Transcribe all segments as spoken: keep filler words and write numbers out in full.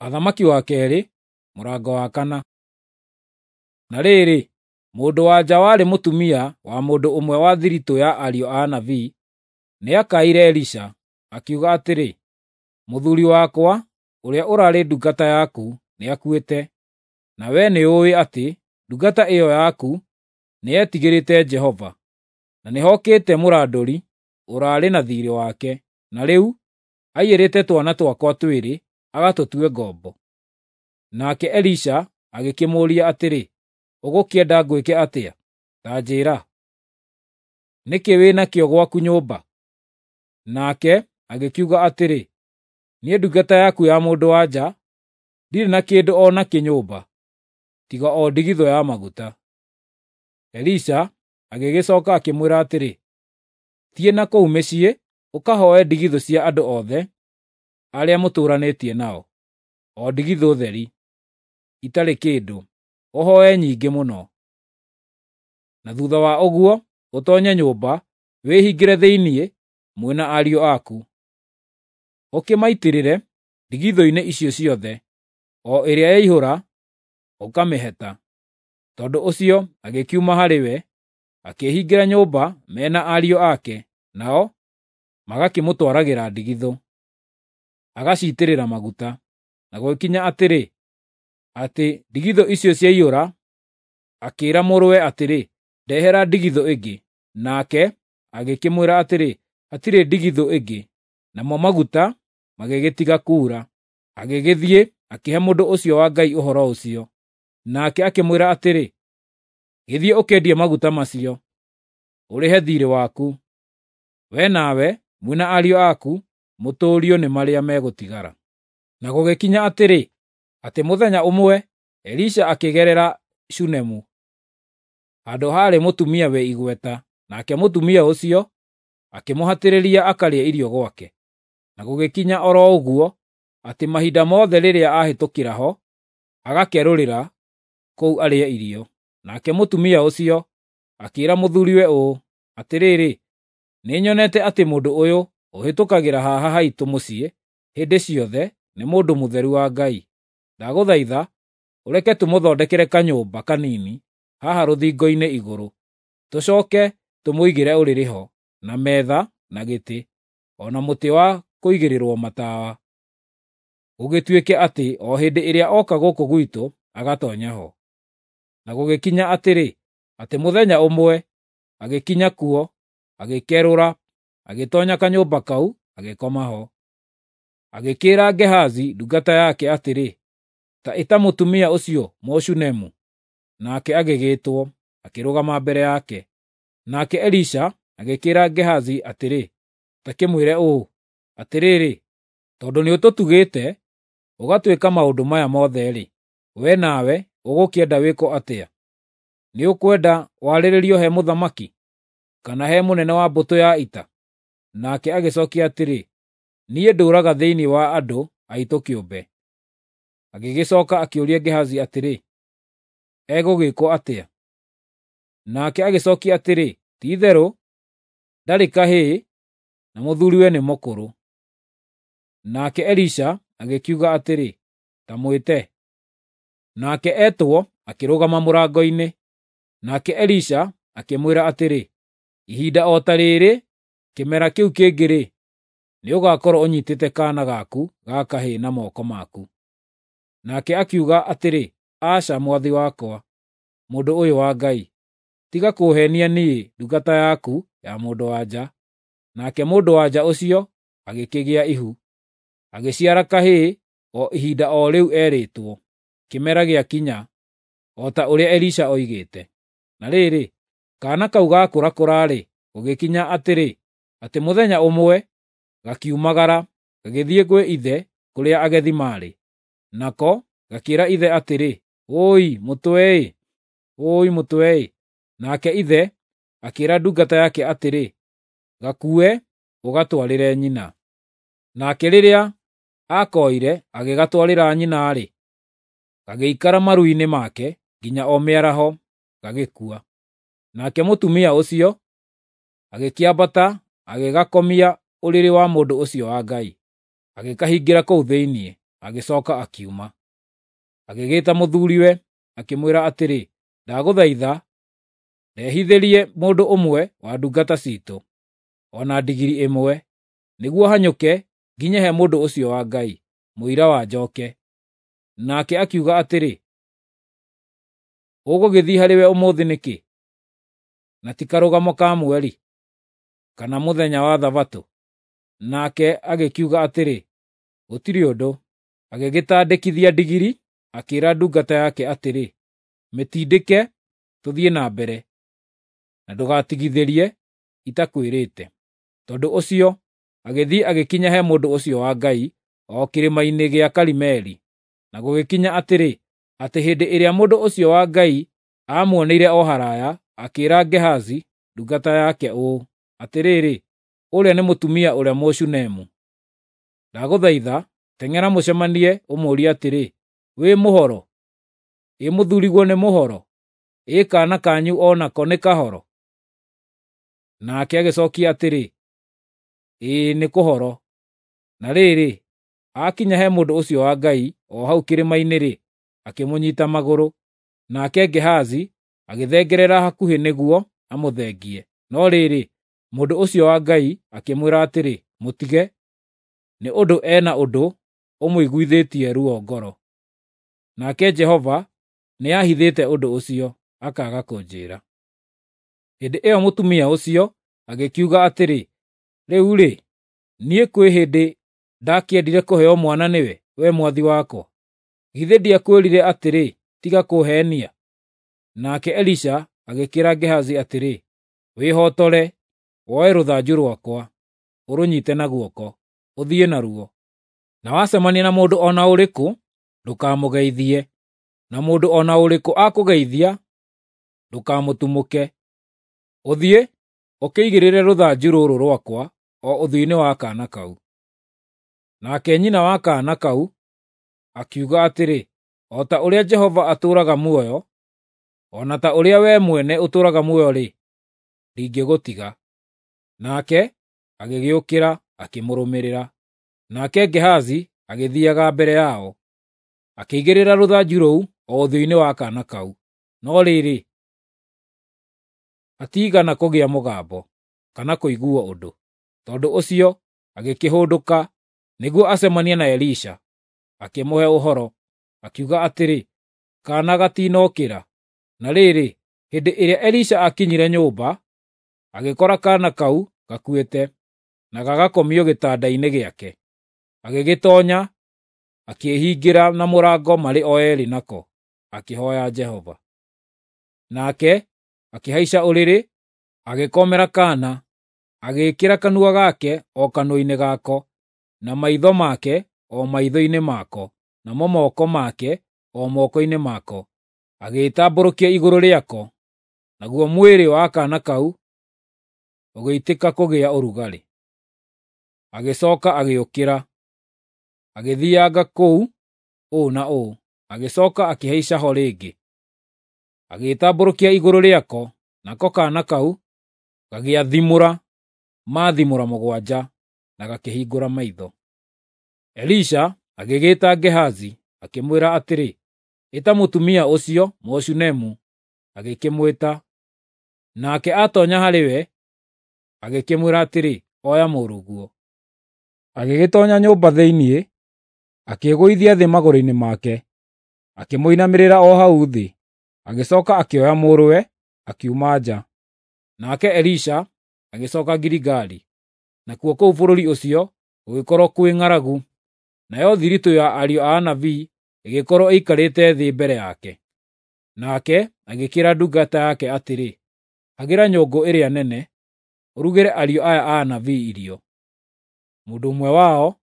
Athamaki wa keerĩ, mũrango wa kana. Na rĩrĩ, mũndũ-wa-nja warĩ mũtumia wa mũndũ ũmwe wa thiritũ ya ariũ a anabii nĩakaĩire Elisha, akiuga atĩrĩ, “Mũthuuri wakwa, ũrĩa ũraarĩ ndungata yaku, nĩakuĩte, na wee nĩũũĩ atĩ ndungata ĩyo yaku nĩyetigĩrĩte Jehova, na nĩhookĩte mũrandũri ũraarĩ na thiirĩ wake, na rĩu aiyĩrĩte twana twakwa twĩrĩ agatũtue ngombo.” Nake Elisha agĩkĩmũũria atĩrĩ, “Ũgũkĩenda ngwĩke atĩa? Ta njĩĩra. Nĩ kĩĩ wĩ nakĩo gwaku nyũmba?” Nake agĩkiuga atĩrĩ, “Niĩ ndungata yaku ya mũndũ-wa-nja ndirĩ na kĩndũ o nakĩ nyũmba, tiga o ndigithũ ya maguta.” Elisha agĩgĩcooka akĩmwĩra atĩrĩ, “Thiĩ na kũu mĩciĩ ũkahooe ndigithũ cia andũ othe arĩa mũtũũranĩtie nao, o ndigithũ theri, itarĩ kĩndũ, ũhooe nyingĩ mũno. Na thuutha wa ũguo ũtoonye nyũmba, wĩhingĩre thĩinĩ mwĩ na ariũ aku. Ũkĩmaitĩrĩre ndigithũ-inĩ icio ciothe, o ĩrĩa yaihũra ũkamĩheta.” Tondũ ũcio agĩkiuma harĩ we, akĩĩhingĩra nyũmba me na ariũ ake, nao magakĩmũtwaragĩra ndigithũ, agaciitĩrĩra maguta. Na gũgĩkinya atĩrĩ, atĩ ndigithũ icio ciaiyũra, akĩĩra mũrũwe atĩrĩ, “Ndehera ndigithũ ĩngĩ.” Nake agĩkĩmwĩra atĩrĩ, “Hatirĩ ndigithũ ĩngĩ.” Namo maguta magĩgĩtiga kuura. Agĩgĩthiĩ akĩhe mũndũ ũcio wa Ngai ũhoro ũcio. Nake akĩmwĩra atĩrĩ, “Gĩthiĩ ũkendie maguta macio, ũrĩhe thiirĩ waku. Wee nawe mwĩ na ariũ aku mũtũũrio nĩ marĩa megũtigara.” Na gũgĩkinya atĩrĩ, atĩ mũthenya ũmwe Elisha akĩgerera Shunemu, handũ haarĩ mũtumia wĩ igweta, nake mũtumia ũcio akĩmũhatĩrĩria akarĩe irio gwake. Na gũgĩkinya o ro ũguo atĩ mahinda mothe rĩrĩa aahĩtũkĩra ho, agakerũrĩra kũu arĩe irio. Nake mũtumia ũcio akĩĩra mũthuuriwe ũũ, “Atĩrĩrĩ, nĩnyonete atĩ mũndũ ũyũ ũhĩtũkagĩra haha haitũ mũciĩ hĩndĩ ciothe nĩ mũndũ mũtheru wa Ngai. Ndagũthaitha ũreke tũmũthondekere kanyũmba kanini haha rũthingo-inĩ igũrũ, tũcooke tũmũigĩre ũrĩrĩ ho, na metha na gĩtĩ, o na mũtĩ wa kũigĩrĩrwo matawa, gũgĩtuĩke atĩ o hĩndĩ ĩrĩa oka gũkũ gwitũ agatoonya ho.” Na gũgĩkinya atĩrĩ, atĩ mũthenya ũmwe agĩkinya kuo, agĩkerũra, agĩtoonya kanyũmba kau, agĩkoma ho. Agĩkĩĩra Gehazi ndungata yake atĩrĩ, “Ta ĩta mũtumia ũcio Mũshunemu.” Nake agĩgĩĩtwo, akĩrũgama mbere yake. Nake Elisha agĩkĩĩra Gehazi atĩrĩ, “Ta kĩmwĩre ũũ, 'Atĩrĩrĩ, tondũ nĩũtũtugĩte, ũgatwĩka maũndũ maya mothe-rĩ, wee nawe ũgũkĩenda wĩkwo atĩa? Nĩũkwenda warĩrĩrio he mũthamaki, kana he mũnene wa mbũtũ ya ita?” Nake agĩcookia atĩrĩ, “Niĩ ndũũraga thĩinĩ wa andũ aitũ kĩũmbe.” Agĩgĩcooka akĩũria Gehazi atĩrĩ, “Egũgĩĩkwo atĩa?” Nake agĩcookia atĩrĩ, “Ti-itherũ ndarĩ kahĩĩ, na mũthuuriwe nĩ mũkũrũ.” Nake Elisha agĩkiuga atĩrĩ, “Ta mwĩte.” Nake etwo akĩrũgama mũrango-inĩ. Nake Elisha akĩmwĩra atĩrĩ, “Ihinda o ta rĩĩrĩ kĩmera kĩu kĩngĩ-rĩ, nĩũgakorwo ũnyiitĩte kaana gaku ga kahĩĩ na moko maku.” Nake akiuga atĩrĩ, “Aca, mwathi wakwa, mũndũ ũyũ wa Ngai, tiga kũũheenia niĩ ndungata yaku ya mũndũ-wa-nja.” Nake mũndũ-wa-nja ũcio agĩkĩgĩa ihu, agĩciara kahĩĩ o ihinda o rĩu eerĩtwo, kĩmera gĩakinya, o ta ũrĩa Elisha oigĩte. Na rĩrĩ, kaana kau gaakũrakũra-rĩ, gũgĩkinya atĩrĩ, atĩ mũthenya ũmwe gakiumagara, gagĩthiĩ gwĩ ithe kũrĩa agethi maarĩ. Nako gakĩĩra ithe atĩrĩ, “Wũi mũtwe-ĩ! Wũi mũtwe-ĩ!” Nake ithe akĩĩra ndungata yake atĩrĩ, “Gakuue ũgatwarĩre nyina.” Nake rĩrĩa aakoire agĩgatwarĩra nyina-rĩ, gagĩikara maru-inĩ make nginya o mĩaraho, gagĩkua. Nake mũtumia ũcio agĩkĩambata agĩgakomia ũrĩrĩ wa mũndũ ũcio wa Ngai, agĩkahingĩra kũu thĩinĩ. agĩcoka akiuma. Agĩgĩta mũthuriwe, akĩmwĩra atĩrĩ, "Ndagũthaitha, ndehithĩrie mũndũ ũmwe wa ndungata ciitũ, o na ndigiri ĩmwe, nĩguo hanyũke nginye he mũndũ ũcio wa Ngai, mũira wa njoke." Nake akiuga atĩrĩ, "Ũgũgĩthiĩ harĩ we ũmũthĩ nĩkĩ, na ti karũgamo ka mweri, kana mũthenya wa Thabatũ?" Nake agĩkiuga atĩrĩ, "Gũtirĩ ũndũ." Agĩgĩtandĩkithia ndigiri, akĩĩra ndungata yake atĩrĩ, "Mĩtindĩke tũthiĩ na mbere, na ndũgatigithĩrie itakwĩrĩte." Tondũ ũcio agĩthiĩ agĩkinya he mũndũ ũcio wa Ngai o kĩrĩma-inĩ gĩa Karimeli. Na gũgĩkinya atĩrĩ, atĩ hĩndĩ ĩrĩa mũndũ ũcio wa Ngai aamuoneire o haraya, akĩĩra Gehazi ndungata yake ũũ, "Atĩrĩrĩ, ũrĩa nĩ mũtumia ũrĩa Mũshunemu. Ndagũthaitha, teng'era mũcemanie ũmũũrie atĩrĩ, 'Wĩ mũhoro? Ĩ mũthuriguo nĩ mũhoro? Ĩ kaana kanyu o nako nĩ kahoro?' Nake agĩcokia atĩrĩ, "Ĩĩ nĩ kũhoro." Na rĩrĩ, aakinya he mũndũ ũcio wa Ngai o hau kĩrĩma-inĩ-rĩ, akĩmũnyiita magũrũ. Nake Gehazi agĩthengerera hakuhĩ nĩguo amũthengie. No rĩrĩ, mũndũ ũcio wa Ngai akĩmwĩra atĩrĩ, "Mũtige, nĩ ũndũ ena ũndũ ũmũiguithĩtie ruo ngoro." Nake Jehova nĩahithĩte ũndũ ũcio, akaaga kũnjĩĩra. Hĩndĩ ĩyo mũtumia ũcio agĩkiuga atĩrĩ, "Rĩu-rĩ, niĩ kwĩ hĩndĩ ndakĩendire kũheo mwana nĩwe, we mwathi wakwa? Githĩ ndiakwĩrire atĩrĩ, 'Tiga kũũheenia'?" Nake Elisha agĩkĩĩra Gehazi atĩrĩ, "Wĩhotore, woe rũthanju rwakwa, ũrũnyiite na guoko, ũthiĩ naruo. Na wacemania na mũndũ o na ũrĩkũ, ndũkamũgeithie, na mũndũ o na ũrĩkũ akũgeithia, ndũkamũtumũke. Ũthiĩ, ũkĩigĩrĩre rũthanju rũrũ rwakwa o ũthiũ-inĩ wa kaana kau." Nake nyina wa kaana kau akiuga atĩrĩ, "O ta ũrĩa Jehova atũũraga muoyo, o na ta ũrĩa wee mwene ũtũũraga muoyo-rĩ, ndingĩgũtiga." Nake agĩgĩũkĩra akĩmũrũmĩrĩra. Nake Gehazi agĩthiiaga mbere yao, akĩigĩrĩra rũthanju rũu o ũthiũ-inĩ wa kaana kau. No rĩrĩ, hatiigana kũgĩa mũgambo, kana kũiguo ũndũ. Tondũ ũcio agĩkĩhũndũka nĩguo acemanie na Elisha, akĩmũhe ũhoro, akiuga atĩrĩ, "Kaana gatinokĩra." Na rĩrĩ, hĩndĩ ĩrĩa Elisha aakinyire nyũmba, agĩkora kaana kau gakuĩte, na gagakomio gĩtanda-inĩ gĩake. Agĩgĩtoonya, akĩĩhingĩra na mũrango marĩ o eerĩ nako, akĩhooya Jehova. Nake akĩhaica ũrĩrĩ, agĩkomera kaana, agĩĩkĩra kanua gake o kanua-inĩ gako, na maitho make o maitho-inĩ mako, namo moko make o moko-inĩ mako. Agĩĩtambũrũkia igũrũ rĩako, naguo mwĩrĩ wa kaana kau ũgĩitĩka kũgĩa ũrugarĩ. Agĩcooka agĩũkĩra, agĩthiianga kũu ũũ na ũũ, agĩcooka akĩhaica ho rĩngĩ. Agĩĩtambũrũkia igũrũ rĩako, nako kaana kau gagĩathimũra maathimũra mũgwanja, na gakĩhingũra maitho. Elisha agĩgĩĩta Gehazi, akĩmwĩra atĩrĩ, "Ĩta mũtumia ũcio Mũshunemu." Agĩkĩmwĩta. Nake aatoonya harĩ we, agĩkĩmwĩra atĩrĩ, "Oya mũrũguo." Agĩgĩtoonya nyũmba thĩinĩ, akĩĩgũithia thĩ magũrũ-inĩ make, akĩmũinamĩrĩra o hau thĩ. Agĩcooka akĩoya mũrũwe, akiuma nja. Nake Elisha agĩcooka Giligali, nakuo kũu bũrũri ũcio gũgĩkorwo kwĩ ng'aragu, nayo thiritũ ya ariũ a anabii ĩgĩkorwo ĩikarĩte thĩ mbere yake. Nake agĩkĩĩra ndungata yake atĩrĩ, "Hagĩra nyũngũ ĩrĩa nene, ũrugĩre ariũ aya a anabii irio." Mũndũ ũmwe wao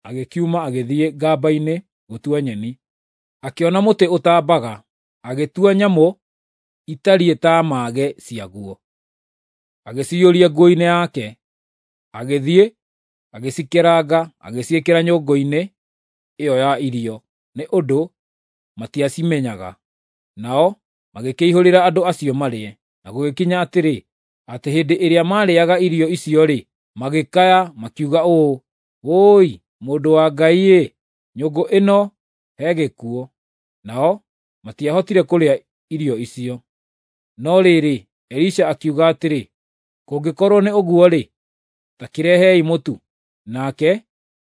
agĩkiuma agĩthiĩ ngamba-inĩ gũtua nyeni. Akĩona mũtĩ ũtambaga, agĩtua nyamũ itariĩ ta mage ciaguo, agĩciyũria nguo-inĩ yake. Agĩthiĩ, agĩcikeranga, agĩciĩkĩra nyũngũ-inĩ ĩyo ya irio, nĩ ũndũ matiacimenyaga. Nao magĩkĩihũrĩra andũ acio marĩe. Na gũgĩkinya atĩrĩ, atĩ hĩndĩ ĩrĩa maarĩĩaga irio icio-rĩ, magĩkaya makiuga ũũ, "Wũi, mũndũ wa Ngai-ĩ, Nyũngũ ĩno he gĩkuũ." Nao matiahotire kũrĩa irio icio. No rĩrĩ, Elisha akiuga atĩrĩ, “Kũngĩkorwo nĩ ũguo-rĩ, ta kĩrehei mũtu.” Nake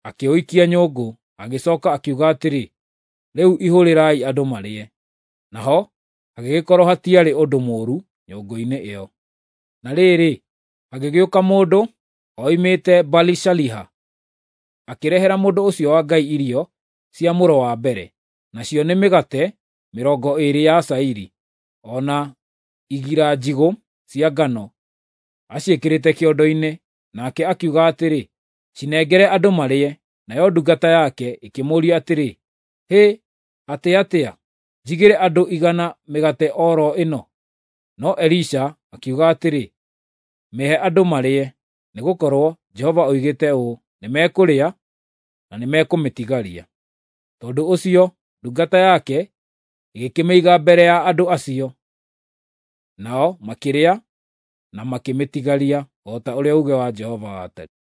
akĩũikia nyũngũ, agĩcooka akiuga atĩrĩ, “Rĩu ihũrĩrai andũ marĩe.” Naho hagĩgĩkorwo hatiarĩ ũndũ mũũru nyũngũ-inĩ ĩyo. Na rĩrĩ, hagĩgĩũka mũndũ oimĩte Baali-Shaliha, akĩrehera mũndũ ũcio wa Ngai irio cia mũro wa mbere, nacio nĩ mĩgate mĩrongo ĩĩrĩ ya cairi, o na igira njigũ cia ngano, aciĩkĩrĩte kĩondo-inĩ. Nake akiuga atĩrĩ, “Cinengere andũ marĩe.” Nayo ndungata yake ĩkĩmũũria atĩrĩ, “Hĩ, atĩ atĩa? Njigĩre andũ igana mĩgate o ro ĩno?” No Elisha akiuga atĩrĩ, “Mĩhe andũ marĩe, nĩgũkorwo Jehova oigĩte ũũ, 'Nĩmekũrĩa na nĩmekũmĩtigaria.'” Tondũ ũcio ndungata yake ĩgĩkĩmĩiga mbere ya andũ acio, nao makĩrĩa na makĩmĩtigaria, o ta ũrĩa uuge wa Jehova watariĩ.